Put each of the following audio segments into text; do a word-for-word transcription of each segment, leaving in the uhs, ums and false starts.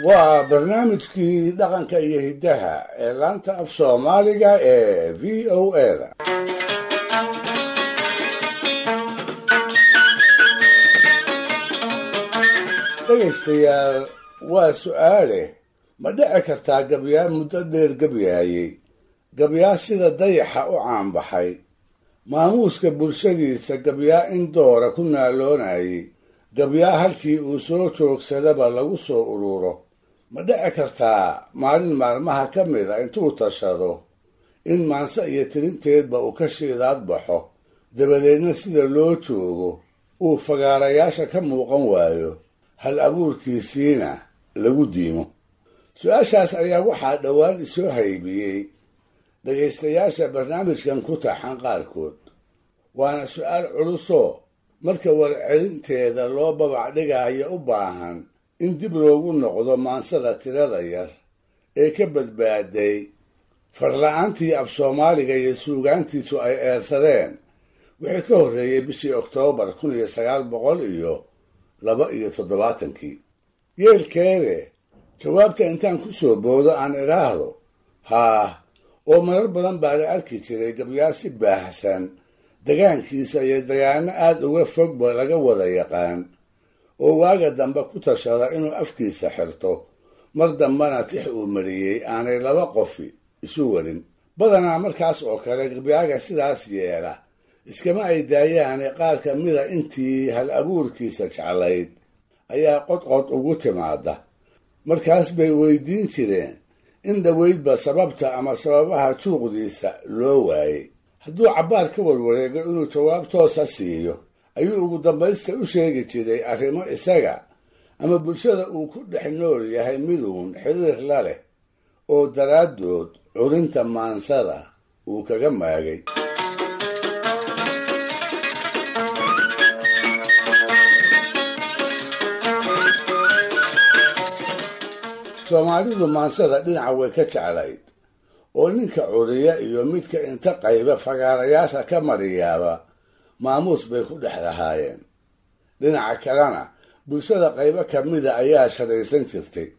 Waa barnaamijkii dhaqanka iyo hiddaha ee laanta af Soomaaliga ee V O A da. Dhegaystayaal, waa su'aale: ma dhici kartaa gabyaa muddo dheer gabyaayey, gabyaa sida dayaxa u caanbaxay, maamuuska bulshadiisa gabyaa in doora ku naaloonayay, gabyaa halkii uu soo joogsadaba lagu soo ururo, ma dhici kartaa maalin maalmaha ka mida intuu tashado in maanse iyo tirinteedba uu ka shiidaad baxo, dabadeedna sida loo joogo uu fagaarayaasha ka muuqan waayo, hal abuurkiisiina lagu diimo? Su-aashaas ayaa waxaa dhowaan isoo haybiyey dhegaystayaasha barnaamijkan ku taxan qaarkood. Waana su-aal culusoo marka warcelinteeda loo babac dhigaayo u baahan in dib loogu noqdo maansada tirada yar ee ka badbaaday farla-aantii af Soomaaliga iyo suugaantiisu ay eersadeen wixii ka horreeyey bishii Oktoobar kun iyo sagaal boqol iyo laba iyo toddobaatankii. Yeelkeede, jawaabta intaan ku soo boodo aan idhaahdo haah, oo marar badan baa la arki jiray gabyaa si baahsan degaankiisa iyo degaano aada uga fogba laga wada yaqaan, oo waaga dambe ku tashada inuu afkiisa xirto, mar dambena tix uu mariyey aanay laba qofi isu warin. Badanaa markaas oo kale gabyaaga sidaas yeela iskama ay daayaane, qaar ka mida intii hal abuurkiisa jeclayd ayaa qodqod ugu timaada. Markaas bay weydiin jireen in dhoweydba sababta ama sababaha juuqdiisa loo waayey. Hadduu cabbaar ka warwareego inuu jawaab toosa siiyo, ayuu ugu dambaysta u sheegi jiray arrimo isaga ama bulshada uu ku dhex nool yahay miduun xiriir la leh oo daraaddood curinta maansada uu kaga maagay. Soomaalidu maansada dhinaca way ka jeclayd, oo ninka curiya iyo midka inta qayba fagaarayaasha ka mariyaaba maamuus bay ku dhex lahaayeen. Dhinaca kalena bulshada qaybo ka mida ayaa sharaysan jirtay.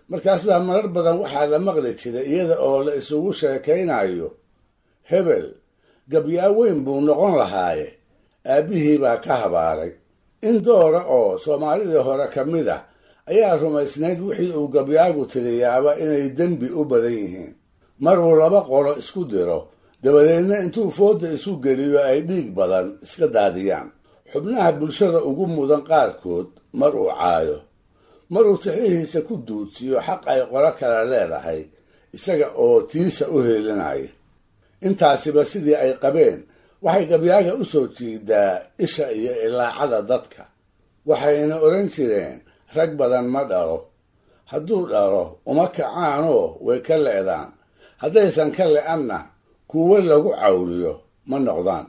Markaas baa marar badan waxaa la maqli jiray iyada oo la isugu sheekaynayo: hebel gabyaa weyn buu noqon lahaaye, aabbihii baa ka habaaray. In doora oo Soomaalidii hore ka mid ah ayaa rumaysnayd wixii uu gabyaagu tiriyaaba inay dembi u badan yihiin. Maruu laba qolo isku diro, dabadeedna intuu foodda isu geliyo ay dhiig badan iska daadiyaan. Xubnaha bulshada ugu mudan qaarkood mar uu caayo, maruu tixihiisa ku duudsiyo xaq ay qolo kale leedahay isaga oo tiisa u heelinaya. Intaasiba sidii ay qabeen waxay gabyaaga u soo jiidaa isha iyo ilaacada dadka, waxayna odhan jireen: rag badan ma dhalo, hadduu dhalo uma kacaanoo way ka le'daan, haddaysan ka le'anna kuwo lagu cawriyo ma noqdaan.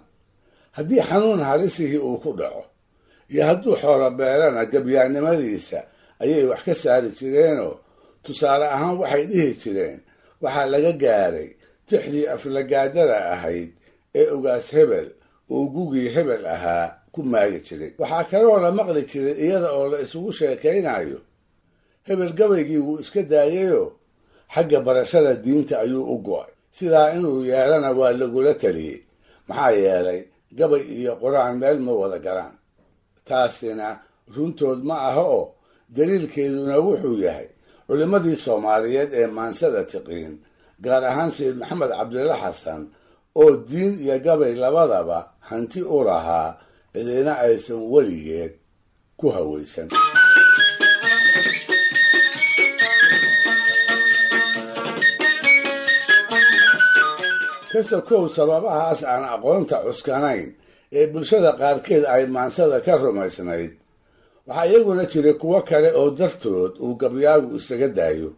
Haddii xanuun halisihii uu ku dhaco iyo hadduu xoolo beelana, gabyaannimadiisa ayay wax ka saari jireenoo tusaale ahaan waxay dhihi jireen waxaa laga gaaray tixdii aflagaadada ahayd ee ugaas hebel uu gugii hebel ahaa ku maagi jiray. Waxaa kaloo la maqli jiray iyada oo la isugu sheekaynayo: hebel gabaygii wuu iska daayayoo xagga barashada diinta ayuu u go'ay, sidaa inuu yeelana waa lagula taliyey, maxaa yeelay gabay iyo qur-aan meel ma wada galaan. Taasina runtood ma aha, oo daliilkeeduna wuxuu yahay culimmadii Soomaaliyeed ee maansada tiqiin, gaar ahaan Sayid Maxamed Cabdilla Xasan oo diin iyo gabay labadaba hanti u lahaa, cidina aysan weligeed ku hawaysan. Kasokow sababahaas aan aqoonta cuskanayn ee bulshada qaarkeed ay maansada ka rumaysnayd, waxaa iyaguna jiray kuwo kale oo dartood uu gabyaagu isaga daayo.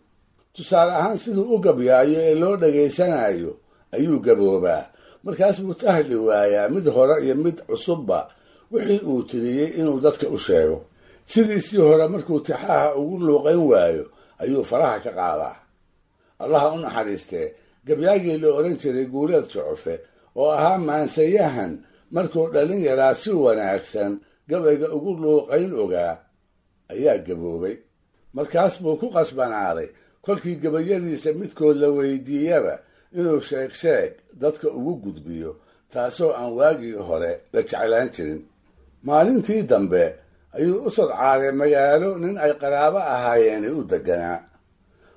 Tusaale ahaan, siduu u gabyaayo ee loo dhegaysanayo ayuu gaboobaa. Markaas buu tahli waayaa mid hore iyo mid cusubba wixii uu tiriyey inuu dadka u sheego. Sidiisii hore markuu tixaha ugu luuqayn waayo ayuu faraha ka qaadaa. Allaha u naxariistee, gabyaagii la odhan jiray Guuleed Jocofe oo ahaa maansayahan markuu dhalin yaraa si wanaagsan gabayga ugu luuqayn ogaa ayaa gaboobay. Markaas buu ku qasbanaaday kolkii gabayadiisa midkood la weydiiyaba inuu sheeg sheeg dadka ugu gudbiyo, taasoo aan waagii hore la jeclaan jirin. Maalintii dambe ayuu u sodcaaday magaalo nin ay qaraabo ahaayeeni u deganaa.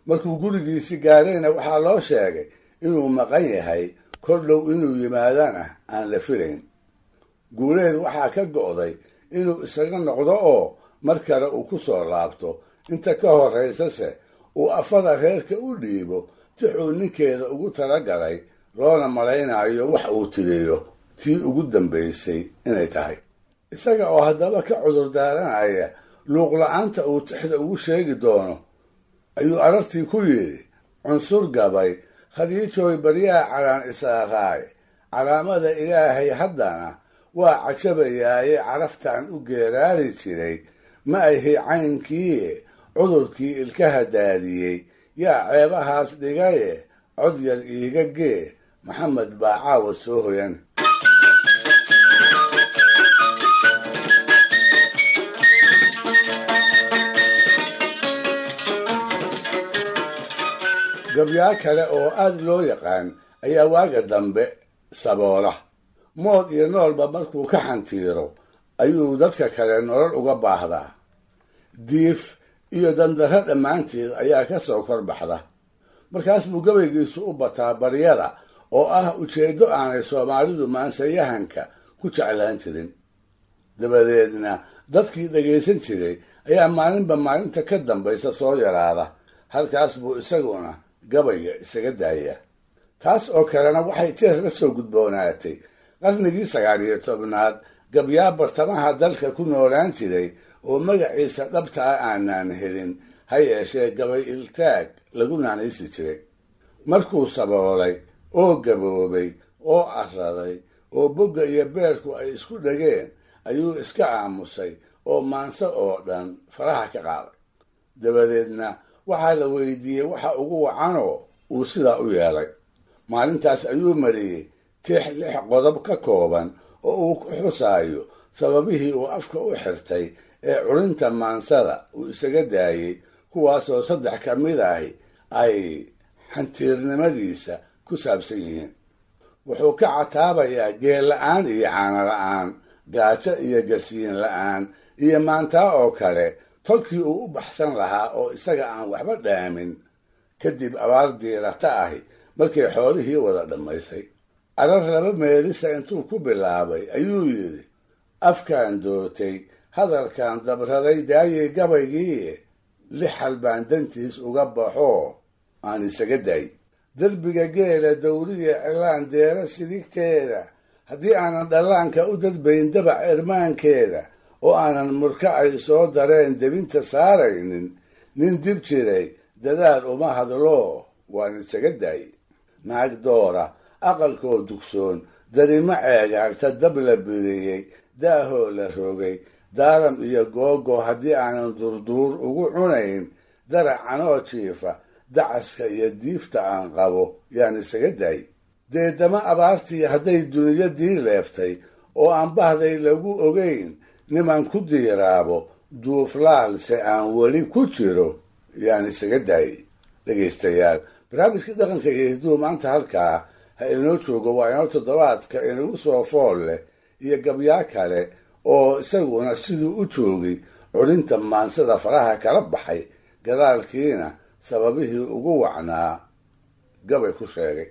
Markuu gurigiisi gaarayna waxaa loo sheegay inuu maqan yahay, kor dhow inuu yimaadana aan la filayn. Guuleed waxaa ka go'day inuu isaga noqdo oo mar kale uu ku soo laabto, inta ka horraysase uu afada reerka u dhiibo tixuu ninkeeda ugu talagalay, loona malaynayo wax uu tiriyo tii ugu dambaysay inay tahay. Isaga oo haddaba ka cudur daaranaya luuq la'aanta uu tixda ugu sheegi doono ayuu arartii ku yidhi: cunsur gabay Khadiijooy baryaha caraan isaaraay, calaamada Ilaahay haddana waa cajabayaaye, caraftaan u geeraari jiray ma ahi caynkiiye, cudurkii ilkaha daadiyey yaa ceebahaas dhigaye, cod yar iiga gee, Maxamed baa caawa soo hoyan. Gabyaa kale oo aad loo yaqaan ayaa waaga dambe saboola. Mood iyo noolba markuu ka xantiiro ayuu dadka kale nolol uga baahdaa. Diif iyo dandarro dhammaanteed ayaa ka soo kor baxda. Markaas buu gabaygiisu u bataa baryada oo ah ujeeddo aanay Soomaalidu maansayahanka ku jeclaan jirin. Dabadeedna dadkii dhagaysan jiray ayaa maalinba maalinta ka dambaysa soo yaraada. Halkaas buu isaguna gabayga isaga daaya. Taas oo kalena waxay jeer la soo gudboonaatay qarnigii sagaal iyo tobnaad gabyaa bartamaha dalka ku noolaan jiray oo magaciisa dhabta ah aanaan helin, ha yeeshee gabay iltaag lagu naanaysi jiray. Markuu saboolay oo gaboobay oo arraday oo bogga iyo beerku ay isku dhegeen ayuu iska aamusay oo maanse oo dhan faraha ka qaaday. Dabadeedna waxaa la weydiiyey waxa ugu wacanoo uu sidaa u yeelay. Maalintaas ayuu mariyey tix lix qodob ka kooban oo uu ku xusaayo sababihii uu afka u xirtay ee curinta maansada uu isaga daayey, kuwaasoo saddex ka mid ahi ay xantiirnimadiisa ku saabsan yihiin. Wuxuu ka cataabayaa geel la'aan iyo caano la'aan, gaajo iyo gasiin la'aan, iyo maantaa oo kale tolkii uu u baxsan lahaa oo isaga aan waxba dhaamin kadib abaar diirata ahi markay xoolihii wada dhammaysay. Arar laba meelisa intuu ku bilaabay ayuu yidhi: afkaan dootay, hadalkaan dabraday, daayey gabaygii, lix hal baan dantiis uga baxoo aan isaga daay. Derbiga geela dawriya cilaan deera sidigteeda, haddii aanan dhallaanka u dadbayn dabac irmaankeeda, oo aanan murka ay soo dareen debinta saaraynin, nin dib jiray dadaal uma hadloo waan isaga daay. Naag doora aqalkoo dugsoon, darimo ceegaagta dab la biriyey, daahoo la rogay, daaram iyo googo haddii aanan durduur ugu cunayn, daracanoo jiifa dacaska iyo diifta aan qabo yaan isaga daay. Deedama abaartii hadday duniyadii leeftay oo aan bahday lagu ogayn, niman ku diiraabo duuflaalse aan weli ku jiro yaan isaga daay. Dhegaystayaal, barnaamijkii dhaqanka iyo hiduhu maanta halkaa ha inoo joogo. Waa inoo toddobaadka inagu soo fool leh iyo gabyaa kale oo isaguna siduu u joogay curinta maansada faraha kala baxay, gadaalkiina sababihii ugu wacnaa gabay ku sheegay.